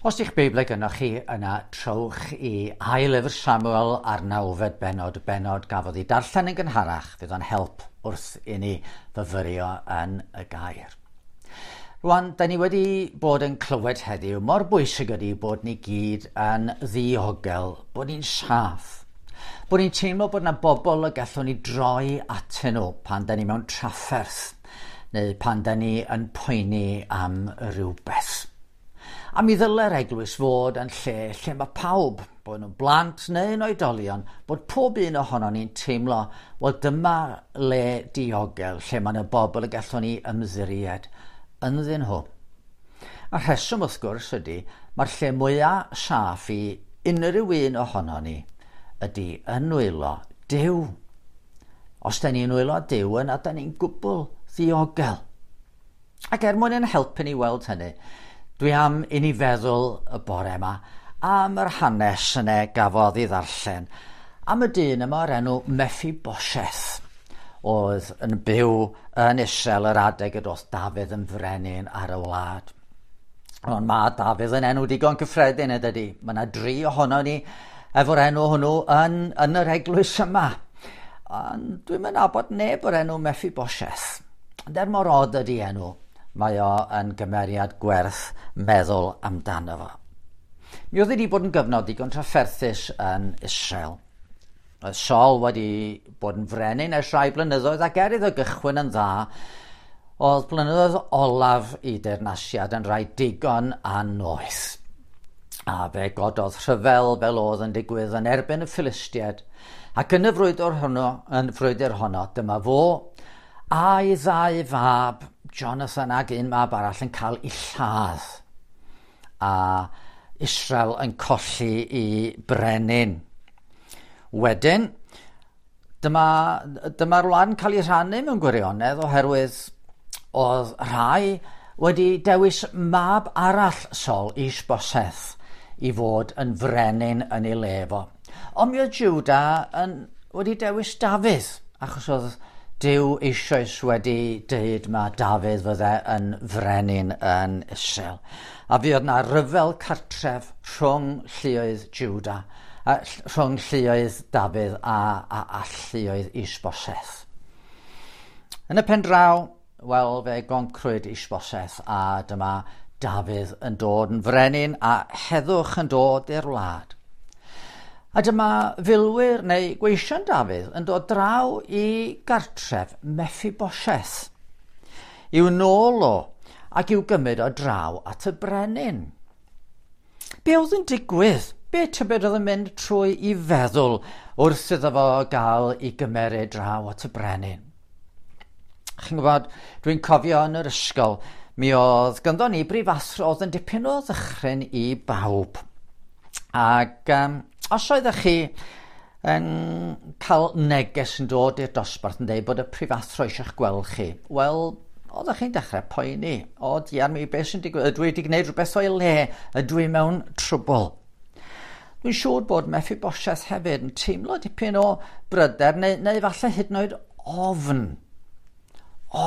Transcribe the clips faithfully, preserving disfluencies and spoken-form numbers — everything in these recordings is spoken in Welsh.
Os di'ch Beiblau gynnoch chi yna, trowch i ail lyfr Samuel a'r nawfed bennod, bennod gafodd ei darllen yn gynharach, fydd o'n help wrth i ni fyfyrio yn y gair. Rwan, da ni wedi bod yn clywed heddiw mor bwysig ydy bod ni gyd yn ddiogel, bod ni'n saff, bod ni'n teimlo bod yna bobl y gallwn ni droi atyn nhw pan da ni mewn trafferth neu pan da ni yn poeni am rhywbeth. A mi ddyle'r eglwys fod yn lle lle mae pawb, bod nhw'n blant neu'n oedolion, bod pob un ohonon ni'n teimlo, wel dyma le diogel, lle mae yna bobl y gallwn ni ymddiried ynddyn nhw. A rheswm wrth gwrs ydy, mae'r lle mwyaf saff i unrhyw un ohonon ni ydy yn nwylo Duw. Os da ni'n nwylo Duw yna, da ni'n gwbl ddiogel. Ac er mwyn ein helpu ni weld hynny, dwi am i ni feddwl y bore yma am yr hanes yna gafodd ei ddarllen, am y dyn yma o'r enw Mephibosheth, oedd yn byw yn Israel yr adeg y doth Dafydd yn frenin ar y wlad. Ond mae Dafydd yn enw digon cyffredin ydy. Mae yna dri ohono ni efo'r enw hwnnw yn, yn yr eglwys yma. Ond dwi'm yn nabod neb o'r enw Mephibosheth. Ond er mor od ydy enw, mae o yn gymeriad gwerth meddwl amdano fo. Mi oedd wedi bod yn gyfnod digon trafferthus yn Israel. Oedd Saul wedi bod yn frenin ers rhai blynyddoedd ac er iddo gychwyn yn dda, oedd blynyddoedd olaf i deyrnasiad yn rhai digon annoeth. A fe gododd rhyfel fel oedd yn digwydd yn erbyn y Philistiaid, ac yn y frwydr honno, yn frwydr honno, dyma fo a'i ddau fab, Jonathan ac un mab arall, yn cael ei lladd. A Israel yn colli i brenin. Wedyn, dyma, dyma'r wlad yn cael ei rhannu mewn gwirionedd oherwydd oedd rhai wedi dewis mab arall Saul, Ishbosheth, i fod yn frenin yn ei le fo. Ond mi oedd Juda yn, wedi dewis Dafydd, achos oedd Duw eisoes wedi deud ma Dafydd fydde yn frenin yn Israel. A fuodd yna ryfel cartref rhwng lluoedd Juda, a rhwng lluoedd Dafydd a, a, a lluoedd Ishbosheth. Yn y pen draw, wel, fe goncrwyd Ishbosheth a dyma Dafydd yn dod yn frenin a heddwch yn dod i'r wlad. A dyma filwyr neu gweision Dafydd yn dod draw i gartref Mephibosheth, i'w nôl o ac i'w gymryd o draw at y brenin. Be oedd yn digwydd? Be tybed oedd yn mynd trwy i feddwl wrth iddo fo gael i gymeryd draw at y brenin? Chi'n gwybod, dwi'n cofio yn yr ysgol, mi oedd ganddo ni brifathro oedd yn dipyn o ddychryn i bawb. Ac um, os oeddech chi yn cael neges yn dod i'r dosbarth yn dweud bod y prifathro eisiau'ch gweld chi, wel, oeddech chi'n dechrau poeni. O, diar mi, beth sy'n digwydd? Ydw i wedi gwneud rhywbeth o'i le? Ydw i mewn trwbl? Dwi'n siŵr bod Mephibosheth hefyd yn teimlo dipyn o bryder neu, neu falle hyd yn oed ofn.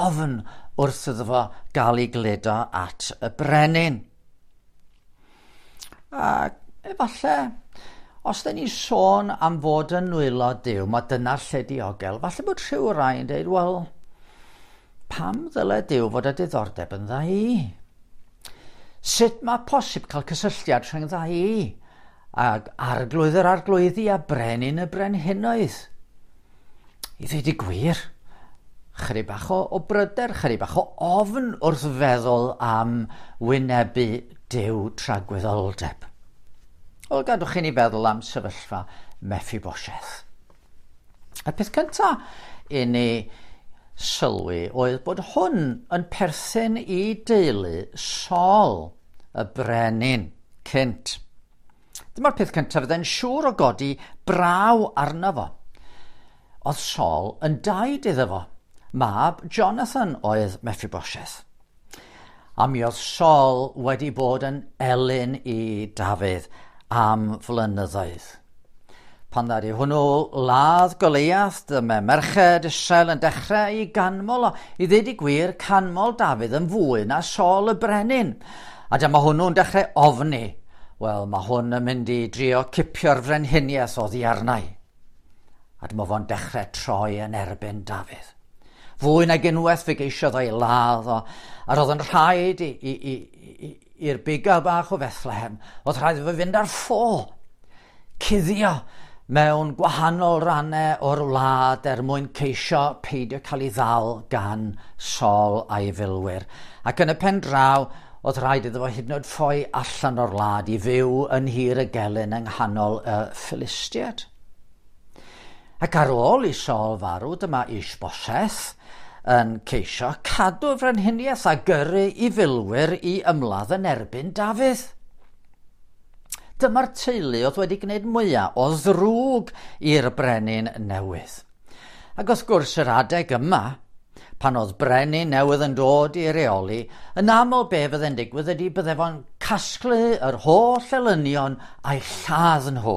Ofn wrth iddo fo gael ei gludo at y brenin. Ac efallai, os da ni'n sôn am fod yn nwylo Duw, mae dyna'r lle diogel, falle bod rhyw rai yn dweud, wel, pam ddyle Duw fod â diddordeb yn dda i? Sut mae posib cael cysylltiad rhwng dda i ag arglwydd yr arglwyddi a brenin y brenhinoedd? I ddweud y gwir, chydig bach o, o bryder, chydig bach o ofn wrth feddwl am wynebu Duw tragwyddoldeb. Wel, gadwch chi ni feddwl am sefyllfa Mephibosheth. Y peth cyntaf i ni sylwi oedd bod hwn yn perthyn i deulu Saul, y brenin cynt. Dyma'r peth cyntaf fydde'n siŵr o godi braw arno fo. Oedd Saul yn daid iddo fo. Mab Jonathan oedd Mephibosheth. A mi oedd Saul wedi bod yn elyn i Dafydd am flynyddoedd. Pan ddaru hwnnw ladd Goliath, dyma merched Israel yn dechrau i ganmol o. I ddweud y gwir, canmol Dafydd yn fwy na Saul y brenin. A dyma hwnnw'n dechrau ofni. Wel, mae hwn yn mynd i drio cipio'r frenhiniaeth oddi arnau. A dyma fo'n dechrau troi yn erbyn Dafydd. Fwy nag unwaith fe geisiodd o'i ladd o, a roedd yn rhaid i'r bugail bach o Fethlehem, oedd rhaid iddo fynd ar ffo, cuddio mewn gwahanol rannau o'r wlad er mwyn ceisio peidio cael ei ddal gan Saul a'i filwyr. Ac yn y pen draw, oedd rhaid iddo fo hyd yn oed ffoi allan o'r wlad i fyw yn nhir y gelyn yng nghanol y Philistiaid. Ac ar ôl i Saul farw, dyma Ishbosheth yn ceisio cadw frenhiniaeth a gyrru i filwyr i ymladd yn erbyn Dafydd. Dyma'r teulu oedd wedi gwneud mwyaf o ddrwg i'r brenin newydd. Ac wrth gwrs yr adeg yma, pan oedd brenin newydd yn dod i reoli, yn aml be fydde'n digwydd ydy bydde fo'n casglu yr holl elynion a'i lladd nhw.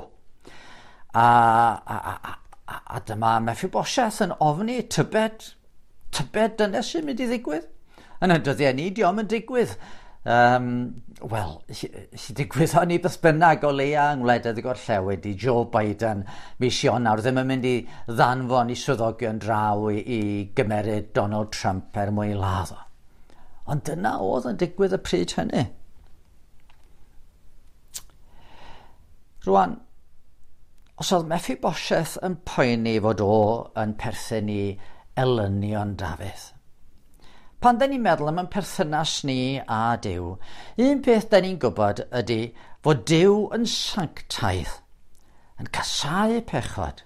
A, a, a, a, a dyma Mephibosheth yn ofni tybed, tybed dyna sy'n mynd i ddigwydd. Yn y dyddiau ni, dio'm yn digwydd. Um, Wel, si digwydd o'n i beth bynnag o leia yng ngwledydd y gorllewin i Joe Biden mis Ionawr ddim yn mynd i ddanfon i swyddogion draw i, i gymeryd Donald Trump er mwyn ladd o. Ond dyna oedd yn digwydd y pryd hynny. Rwan, os oedd Mephibosheth yn poeni fod o yn perthyn i elynion Dafydd, pan da ni'n meddwl am ein perthynas ni a Duw, un peth da ni'n gwybod ydy fod Duw yn sanctaidd, yn casáu pechod,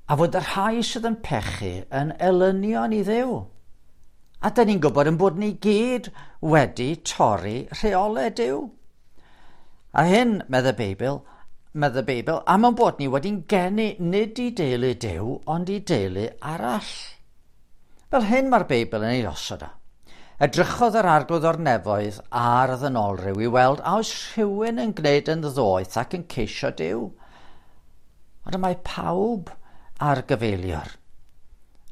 a fod y rhai sydd yn pechu yn elynion i Dduw. A da ni'n gwybod yn bod ni gyd wedi torri rheolau Duw. A hyn, medd y Beibl, medd y Beibl, am ein bod ni wedi'n geni nid i deulu Duw, ond i deulu arall. Fel hyn mae'r Beibl yn ei osod o. Edrychodd yr Arglwydd o'r nefoedd ar y ddynolryw i weld a oes rhywun yn gwneud yn ddoeth ac yn ceisio Duw. Ond y mae pawb ar gyfeilior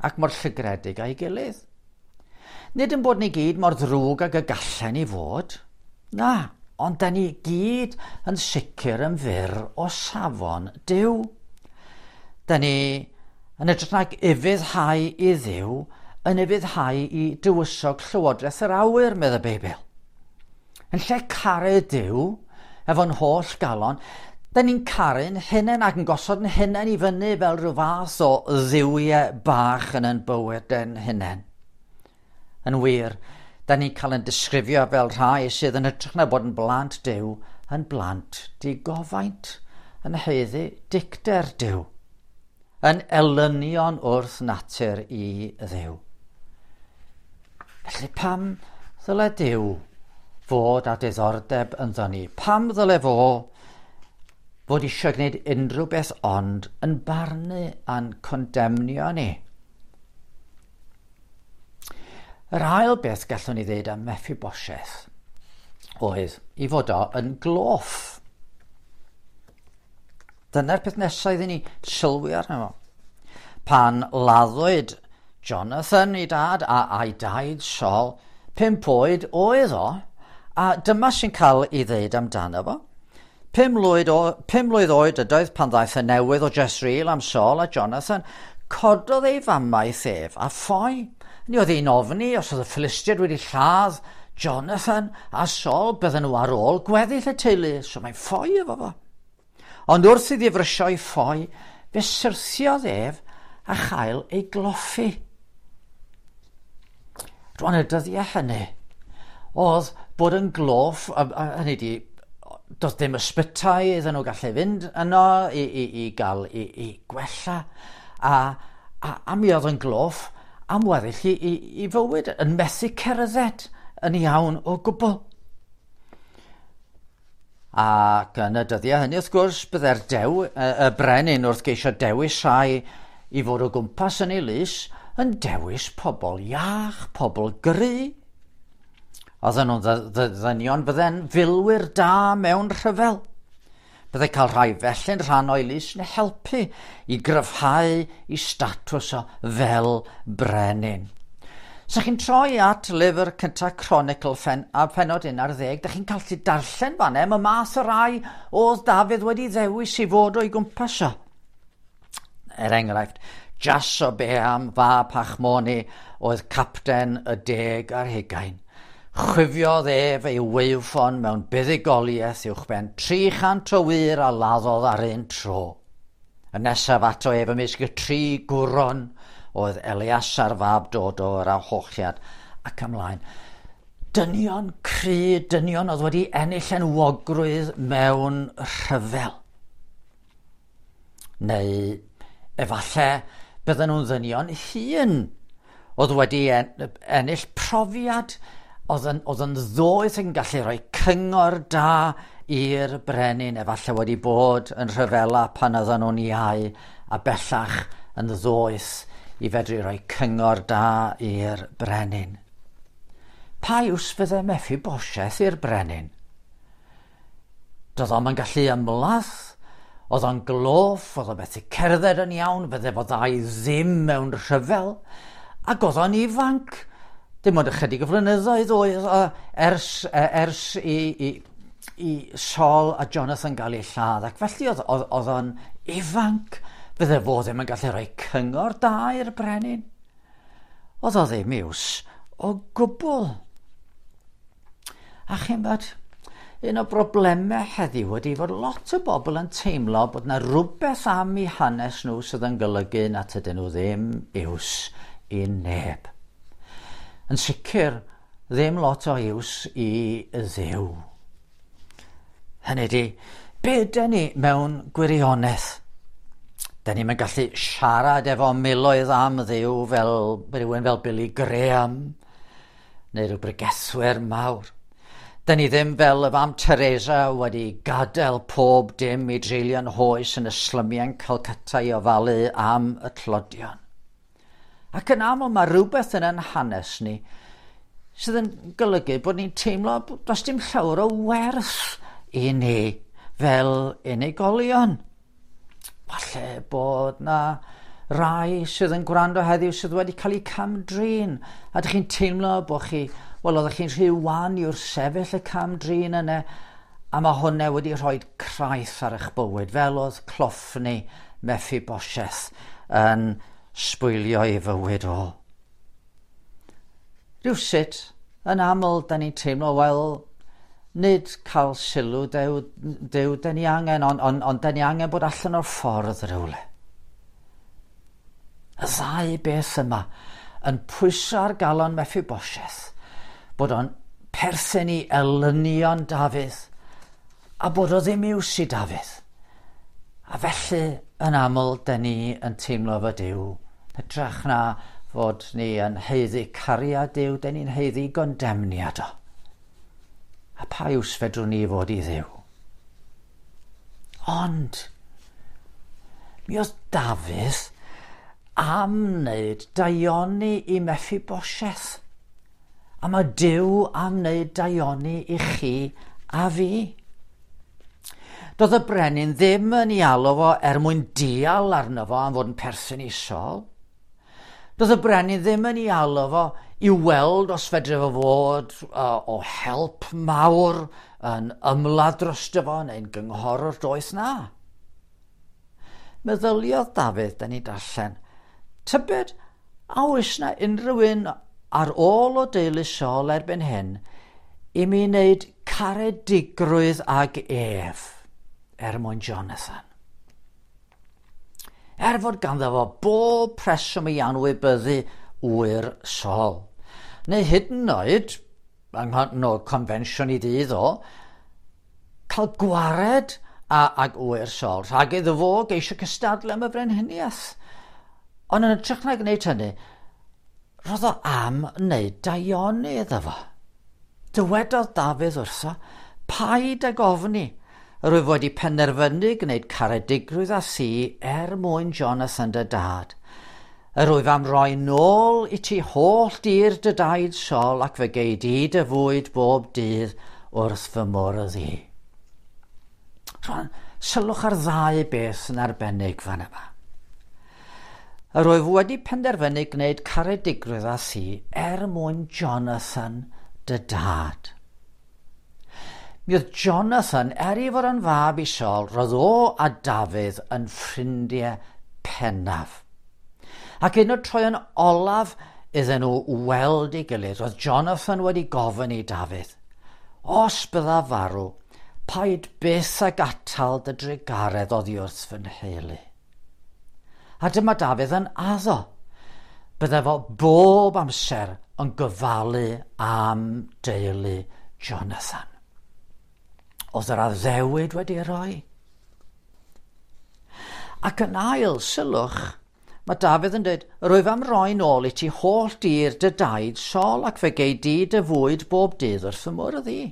ac mor llygredig a'i gilydd. Nid yn bod ni gyd mor ddrwg ag y gallen ni fod. Na, ond da ni gyd yn sicr yn fyr o safon Duw. Da ni yn edrych nag ufuddhau i Dduw, yn ufuddhau i dywysog llywodraeth yr awyr, medd y Beibl. Yn lle caru Duw, efo'n holl galon, da ni'n caru'n hunain ac yn gosod yn hunain i fyny fel rhyw fath o dduwiau bach yn ein bywyd yn hunain. Yn wir, da ni'n cael yn disgrifio fel rhai sydd yn hytrach na bod yn blant Duw, yn blant digofaint, yn haeddu dicter Duw, yn elynion wrth natur i Dduw. Felly pam ddyle Duw fod â diddordeb ynddo ni? Pam ddyle fo fod eisiau gwneud unrhyw beth ond yn barnu a'n condemnio ni? Yr ail beth gallwn ni ddweud am Mephibosheth oedd i fod o yn gloff. Dyna'r peth nesaf iddyn ni sylwi arno fo. Pan laddwyd Jonathan ei dad a a'i daid Saul, pump oed oedd o, a dyma sy'n cael ei ddeud amdano fo. Pum mlwydd, o, pum mlwydd oed ydoedd pan ddaeth y newydd o Jezreel am Saul a Jonathan, cododd ei famaeth ef a ffoi. Ni oedd hi'n ofni os oedd y Philistiaid wedi lladd Jonathan a Saul, bydden nhw ar ôl gweddill y teulu, so mae'n ffoi efo fo. Ond wrth iddi frysio i ffoi, fe syrthiodd ef a chael ei gloffi. Rwan y dyddiau hynny, oedd bod yn gloff, hynny di, doedd dim ysbytai iddyn nhw gallu fynd yno i, i, i gael i, i gwella, a, a, a mi oedd yn gloff am weddill i, i, i fywyd, yn methu cerdded yn iawn o gwbl. Ac yn y dyddiau hynny, wrth gwrs, bydde'r dew, y, y brenin wrth geisio dewis rhai i fod o gwmpas yn ei lys, yn dewis pobl iach, pobl gry. Oedden nhw'n ddynion bydde'n filwyr da mewn rhyfel. Bydde cael rhai felly'n rhan o'i lys yn helpu i gryfhau i statws o fel brenin. Sa chi'n troi at lyfr cyntaf Chronicle ffen, a pennod un ar ddeg, da chi'n gallu darllen fan am y math o rai oedd Dafydd wedi ddewis i fod o'i gwmpas o. Er enghraifft, Jasobeam fab Hachmoni oedd capten y deg ar hugain. Chwifiodd ef ei waywffon mewn buddugoliaeth uwchben tri chant o wŷr a laddodd ar un tro. Y nesaf ato ef ymysg y tri gwron oedd Eleasar fab Dodo yr Ahochiad ac ymlaen. Dynion cry, dynion oedd wedi ennill enwogrwydd mewn rhyfel. Neu efallai bydden nhw'n ddynion hŷn oedd wedi ennill profiad, oedd yn, oedd yn ddoeth yn gallu rhoi cyngor da i'r brenin, efallai wedi bod yn rhyfela pan oedden nhw'n iau a bellach yn ddoeth i fedru rhoi cyngor da i'r brenin. Pa iws fydde Meffiboseth i'r brenin? Doedd o'm yn gallu ymladd, oedd o'n gloff, oedd o'n methu cerdded yn iawn, fydde fo dda i ddim mewn rhyfel, ac oedd o'n ifanc. Dim ond ychydig o flynyddoedd oedd o ers, ers i, i, i Saul a Jonathan gael eu lladd, ac felly oedd, oedd, oedd o'n ifanc. Fydde fo ddim yn gallu rhoi cyngor da i'r brenin. Oedd o ddim iws o gwbl. A chi'n bod, un o broblemau heddiw ydy fod lot o bobl yn teimlo bod yna rhywbeth am eu hanes nhw sydd yn golygu nad ydyn nhw ddim iws i neb. Yn sicr, ddim lot o iws i Dduw. Hynny ydy, be ydyn ni mewn gwirionedd? Da ni'm yn gallu siarad efo miloedd am Dduw fel rhywun fel Billy Graham neu rhyw bregethwyr mawr. Da ni ddim fel y fam Teresa wedi gadael pob dim i dreulio'n hoes yn y slymiau'n Calcutta i ofalu am y tlodion. Ac yn aml mae rhywbeth yn ein hanes ni sydd yn golygu bod ni'n teimlo does dim llawer o werth i ni fel unigolion. Falle bod na rai sydd yn gwrando heddiw sydd wedi cael eu cam-drin, a ydych chi'n teimlo bod chi, wel, oeddech chi'n rhy wan i wrthsefyll y cam-drin yna, a mae hwnna wedi rhoi craith ar eich bywyd, fel oedd cloffni Meffiboseth yn sbwylio ei fywyd o. Rhywsut, yn aml, da ni'n teimlo, wel, nid cael sylw Duw, Duw da ni angen, ond on, on da ni angen bod allan o'r ffordd rhywle. Y ddau beth yma yn pwyso ar galon Meffiboseth, bod o'n perthyn i elynion Dafydd, a bod o ddim iws i Dafydd. A felly, yn aml, da ni yn teimlo fod Duw, hytrach na fod ni yn haeddu cariad Duw, da ni'n haeddu gondemniad o. A pa iws fedrwn ni fod i Dduw? Ond, mi oedd Dafydd am wneud daioni i Meffiboseth. A mae Duw am wneud daioni i chi a fi. Doedd y brenin ddim yn ei alw fo er mwyn dial arno fo am fod yn perthyn i Saul. Doedd y brenin ddim yn ei alw fo i weld os fedre fo fod uh, o help mawr yn ymladd drosto fo neu'n gynghorwr doeth na. Meddyliodd Dafydd, da ni darllen, tybed a oes na unrhyw un ar ôl o deulu Saul erbyn hyn i mi wneud caredigrwydd ag ef er mwyn Jonathan. Er fod ganddo fo bob preswm i anwybyddu ŵyr Saul. Neu hyd yn oed, yng no confensiwn i ddydd o, cael gwared a, ag ŵyr Saul, rhag iddo fo geisio cystadlu am y frenhiniaeth. Ond yn hytrach na gwneud hynny, roedd o am wneud daioni iddo fo. Dywedodd Dafydd wrtho, paid ag ofni, yr wyf wedi penderfynu gwneud caredigrwydd â thi er mwyn Jonathan dy dad. Yr wyf am roi nôl i ti holl dir dy daid Saul ac fe gei di dy fwyd bob dydd wrth fy mwrdd i. Rwan, sylwch ar ddau beth yn arbennig fan yma. Yr wyf wedi penderfynu gwneud caredigrwydd â thi er mwyn Jonathan dy dad. Mi oedd Jonathan, er ei fod yn fab i Saul, roedd o a Dafydd yn ffrindiau pennaf. Ac un o'r troeon olaf iddyn nhw weld ei gilydd, roedd Jonathan wedi gofyn i Dafydd, os bydda farw, paid byth ag atal dy drugaredd oddi wrth fy nheulu. A dyma Dafydd yn addo. Bydde fo bob amser yn gofalu am deulu Jonathan. Oedd yr addewid wedi rhoi. Ac yn ail, sylwch, mae Dafydd yn dweud, rwyf am roi nôl i ti holl dir dy daid Saul ac fe gei di dy fwyd bob dydd wrth y mwrdd i.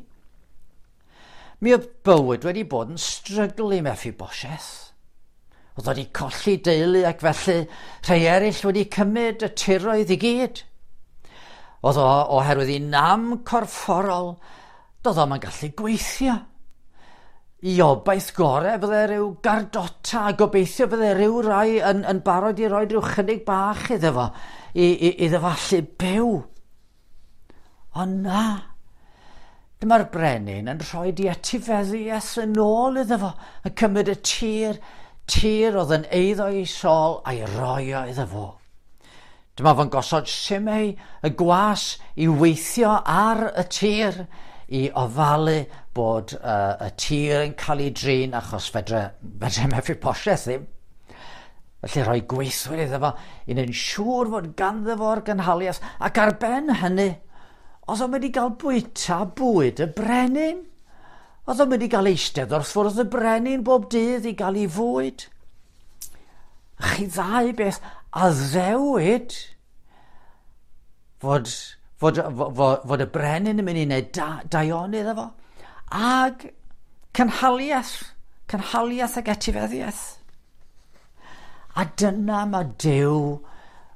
Mi oedd bywyd wedi bod yn strygl i Mephibosheth. Oedd wedi colli deulu ac felly rhai eraill wedi cymryd y tiroedd i gyd. Oedd o oherwydd ei nam corfforol, doedd o'm yn gallu gweithio. I obaith gorau fydde rhyw gardota a gobeithio fydde rhyw rai yn, yn barod i roi rhyw chynnig bach iddo fo, i, i, iddo fo allu byw. Ond na, dyma'r brenin yn rhoi di etifeddiaeth yn ôl iddo fo, yn cymryd y tir, tir oedd yn eiddo i Saul a'i roi o iddo fo. Dyma fo'n gosod Simei y gwas i weithio ar y tir, i ofalu bod uh, y tir yn cael ei drin achos fedre, fedre Mephibosheth ddim. Felly rhoi gweithwyr iddo fo i wneud yn siŵr fod ganddo fo'r gynhaliaeth, ac ar ben hynny, oedd o'n mynd i gael bwyta bwyd y brenin. Oedd o'n mynd i gael eistedd wrth fwrdd y brenin bob dydd i gael ei fwyd. Chi ddau beth addewid fod, fod, fod, fod y brenin yn mynd i wneud da, daioni iddo fo. Ag cynhaliaeth, cynhaliaeth ac etifeddiaeth. A dyna mae Duw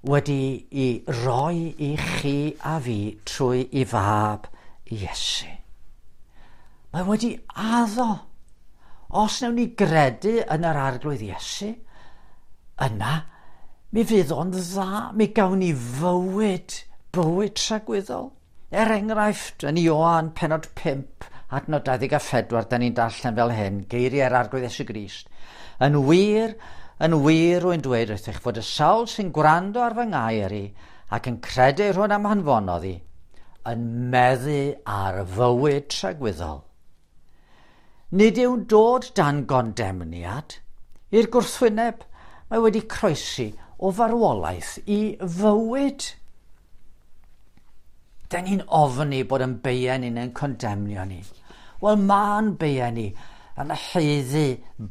wedi i roi i chi a fi trwy i fab Iesu. Mae wedi addo. Os wnawn ni gredu yn yr Arglwydd Iesu, yna mi fydd o'n dda, mi gawn ni fywyd, bywyd tragwyddol. Er enghraifft, yn Ioan pennod pump, adnod dau ddeg a phedwar, da ni'n darllen fel hyn, geiriau'r Arglwydd Iesu Grist. Yn wir, yn wir rwy'n dweud wrthych fod y sawl sy'n gwrando ar fy ngair i ac yn credu rhywun am hanfonodd i, yn meddu ar fywyd tragwyddol. Nid yw'n dod dan gondemniad. I'r gwrthwyneb, mae wedi croesi o farwolaeth i fywyd. Da ni'n ofni bod yn beien ni'n yn condemnio ni. Wel, ma'n beien ni yn haeddu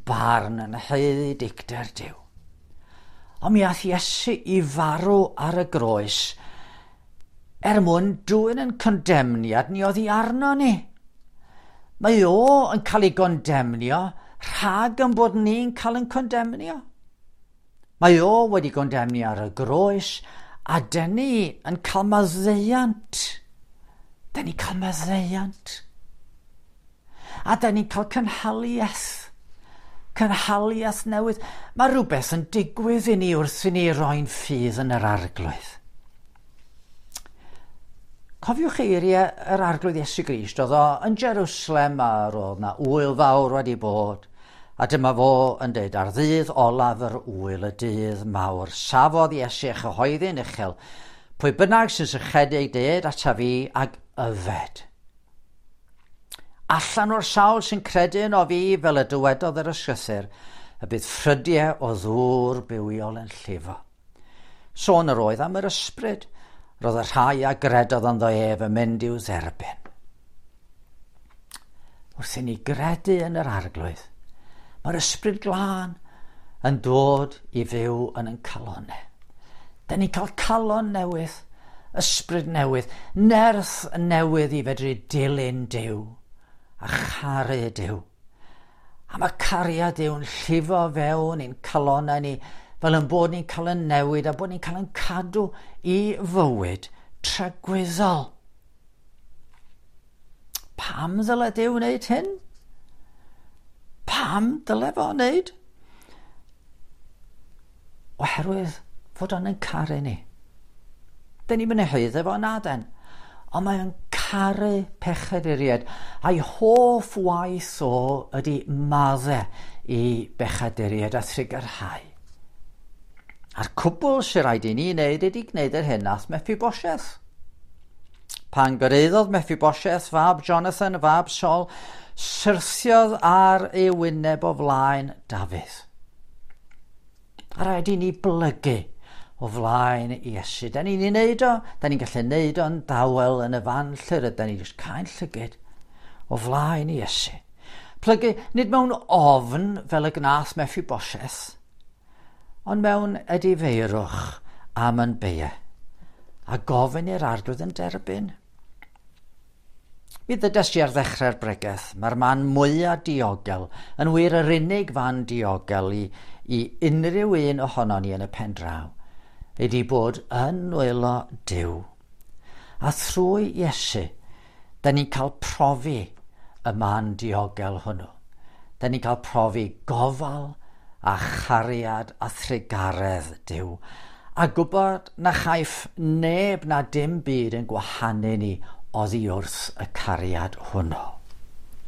barn, yn haeddu dicter Duw. Ond mi ath Iesu i farw ar y groes er mwyn dwyn yn condemniad ni oddi arno ni. Mae o yn cael ei gondemnio rhag yn bod ni'n cael yn condemnio. Mae o wedi gondemnio ar y groes a dyn ni yn cael maddeuant. Dyn ni'n cael maddeuant. A dyn ni'n cael cynhaliaeth. Cynhaliaeth newydd. Mae rhywbeth yn digwydd i ni wrth i ni roi'n ffydd yn yr Arglwydd. Cofiwch eiriau yr Arglwydd Iesu Grist, oedd o yn Jerusalem a roedd na ŵyl fawr wedi bod. A dyma fo yn dweud, ar ddydd olaf yr ŵyl, y dydd mawr, safodd Iesu a chyhoeddi'n uchel, pwy bynnag sy'n sychedig ded ata fi ag yfed. Allan o'r sawl sy'n credu yno fi, fel y dywedodd yr ysgrythur, y bydd ffrydiau o ddŵr bywiol yn llifo. Sôn yr oedd am yr ysbryd, roedd y rhai a gredodd ynddo ef yn mynd i'w dderbyn. Wrth i ni gredu yn yr Arglwydd, mae'r ysbryd glân yn dod i fyw yn ein calonnau. Da ni'n cael calon newydd, ysbryd newydd, nerth newydd i fedru dilyn Duw a charu Duw. A mae cariad Duw'n llifo fewn i'n calonnau ni, fel yn bod ni'n cael yn newid a bod ni'n cael yn cadw i fywyd tragwyddol. Pam ddyle Duw wneud hyn? Pam dyle fo wneud? Oherwydd Fod o'n yn caru ni. Dyn ni'n mynd i haeddu fo na den. Ond mae o'n caru pechaduriaid. A'i hoff waith o ydy madde i bechaduriaid a thrugarhau. A'r cwbl sy'n rhaid i ni wneud ydy gwneud yr hyn nath Mephibosheth. Pan gyrhaeddodd Mephibosheth, fab Jonathan, fab Saul, syrthiodd ar ei wyneb o flaen Dafydd. A rhaid i ni blygu o flaen Iesu. Da ni'n ei wneud o, da ni'n gallu wneud o'n dawel yn y fan lle rydyn ni jyst cau'n llygyd o flaen Iesu. Plygu nid mewn ofn fel y gnath Mephibosheth, ond mewn edifeirwch am yn beie, a gofyn i'r Arglwydd yn derbyn. Mi ddydes i ar ddechrau'r bregeth, mae'r man mwyaf diogel, yn wir yr unig fan diogel i, i unrhyw un ohonon ni yn y pen draw, ydy bod yn nwylo Duw. A thrwy Iesu, da ni'n cael profi y man diogel hwnnw. Da ni'n cael profi gofal a chariad a thrugaredd Duw. A gwybod na chaiff neb na dim byd yn gwahanu ni oddi wrth y cariad hwnnw.